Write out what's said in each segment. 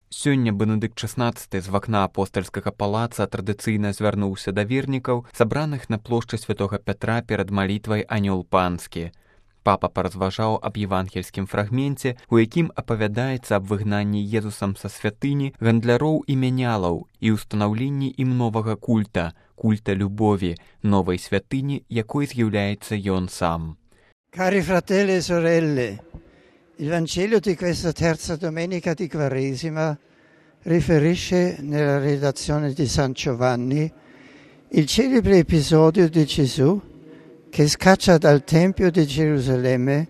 Сёння Бенедыкт XVI з вакна апостальскага палаца традыцыйна звярнуўся да вернікаў, сабраных на плошчы святога Пятра перад малітвай «Анёл панскі». Папа паразважаў аб евангельскім фрагменце, у якім апавядаецца аб выгнанні Езусам са святыні гандляроў і мянялаў і ўстанаўленні ім новага культа, культа любові, новай святыні, якой з'яўляецца ён сам. Cari fratelli e sorelle, il Vangelo di questa terza domenica di Quaresima riferisce nella redazione di San Giovanni il celebre episodio di Gesù che scaccia dal Tempio di Gerusalemme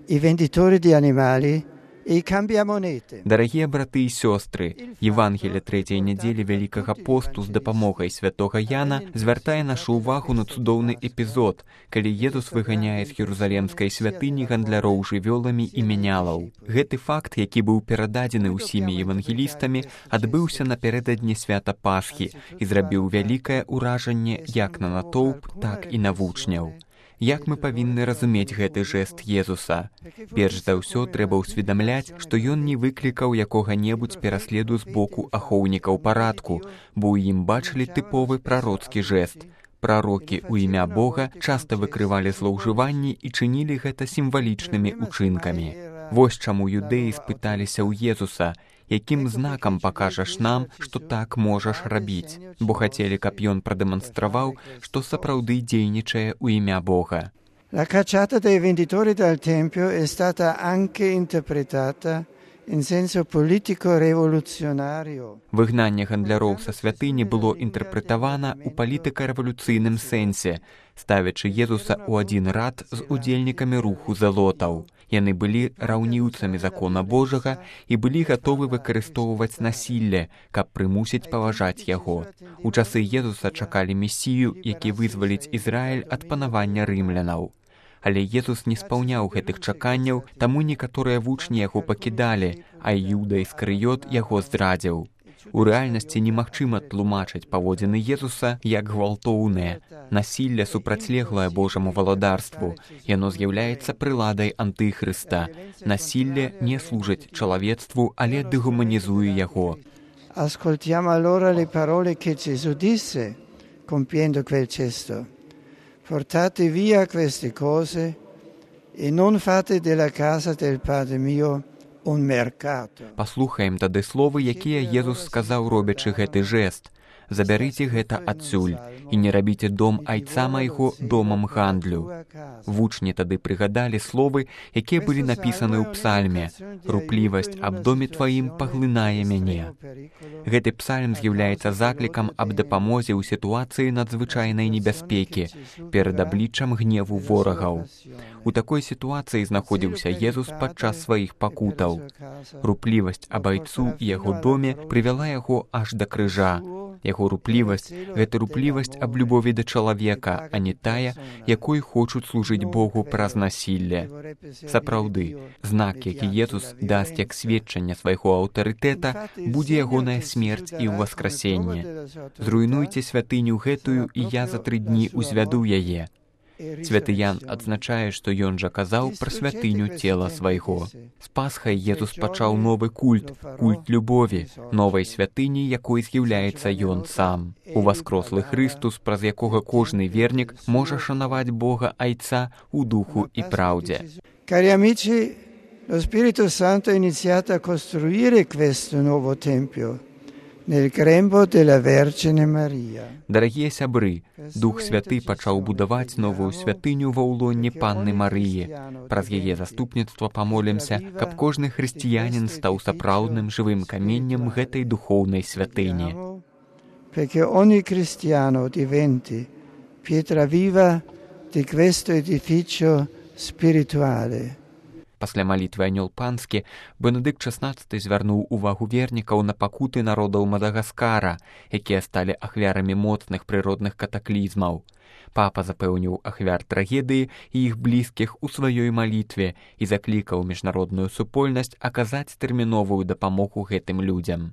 i venditori di animali e i cambiamonete. Дарагія браты і сёстры, Евангелие трэцяй нядзелі Вялікага посту з дапамогай святога Яна звяртае нашу ўвагу на цудоўны эпізод, калі Езус выганяе з Єрусалемскай святыні гандляроў жывёламі і мянялаў. Гэты факт, які быў перададзены ўсімі евангелістамі, адбыўся напярэдадні свята Пасхі і зрабіў вялікае ўражанне як на натоўп, так і на вучняў. Як мы павінны разумець гэты жэст Езуса? Перш за ўсё трэба ўсведамляць, што ён не выклікаў якога-небудзь пераследу з боку ахоўнікаў парадку, бо ў ім бачылі тыповы прароцкі жэст. Прарокі ў імя Бога часта выкрывалі злоўжыванні і чынілі гэта сімвалічнымі ўчынкамі. Вось чаму юдэі спыталіся ў Езуса: якім знакам пакажаш нам, што так можаш рабіць? Бо хацелі, каб ён прадэманстраваў, што сапраўды дзейнічае ў імя Бога. La cacciata dei venditori dal Tempio è stata anche interpretata in senso politico-rivoluzionario. Выгнанне гандляроў са святыні было інтэрпрэтавана ў палітыка-рэвалюцыйным сэнсе, ставячы Езуса ў адзін рад з удзельнікамі руху зэлотаў. Яны былі раўніўцамі закона Божага і былі гатовы выкарыстоўваць насілле, каб прымусіць паважаць яго. У часы Езуса чакалі месію, які вызваліць Ізраіль ад панавання рымлянаў. Але Езус не спаўняў гэтых чаканняў, таму некаторыя вучні яго пакідалі, а Іуда Іскарыёт яго здрадзіў. У рэальнасці немагчыма тлумачыць паводзіны Езуса як гвалтоўныя. Насілле супрацьлеглае Божаму валадарству. Яно з'яўляецца прыладай антыхрыста. Насілле не служыць чалавецтву, але дэгуманізуе яго. Ascoltiamo allora le parole che Gesù disse compiendo quel gesto. Portate via queste cose e non fate della casa del Padre mio un mercato. Паслухаем тады словы, якія Езус сказаў, робячы гэты жэст. Забярыце гэта адсюль і не рабіце дом айца майго домам гандлю. Вучні тады прыгадалі словы, якія былі напісаны ў псальме: «Руплівасць аб доме тваім паглынае мяне». Гэты псальм з'яўляецца заклікам аб дапамозе ў сітуацыі надзвычайнай небяспекі перад абліччам гневу ворагаў. У такой сітуацыі знаходзіўся Езус падчас сваіх пакутаў. Руплівасць аб айцу і яго доме прывяла яго аж да крыжа. Яго руплівасць – гэта руплівасць аб любові да чалавека, а не тая, якой хочуць служыць Богу праз насілле. Сапраўды, знак, які Езус дасць як сведчанне свайго аўтарытэта, будзе ягоная смерць і ўваскрасенне. Зруйнуйце святыню гэтую, і я за 3 дні узвяду яе. Святы Ян адзначае, што ён жа казаў пра святыню цела свайго. З Пасхай Езус пачаў новы культ, культ любові, новай святыні, якой з'яўляецца ён сам. Уваскрослы Хрыстус, праз якога кожны вернік можа шанаваць Бога Айца ў духу і праўдзе. Cari amici, lo Spirito Santo ha iniziato a costruire questo nuovo tempio nel grembo della Vergine Maria. Дарагія сябры, Дух Святы пачаў будаваць новую святыню ва ўлонні Панны Марыі. Праз яе заступніцтва памолімся, каб кожны хрысціянін стаў сапраўдным жывым каменнем гэтай духоўнай святыні. Perché ogni cristiano diventi pietra viva di questo edificio spirituale. Пасля малітвы «Анёл панскі» Бенедыкт XVI звярнуў увагу вернікаў на пакуты народаў Мадагаскара, якія сталі ахвярамі моцных прыродных катаклізмаў. Папа запэўніў ахвяр трагедыі і іх блізкіх у сваёй малітве і заклікаў міжнародную супольнасць аказаць тэрміновую дапамогу гэтым людзям.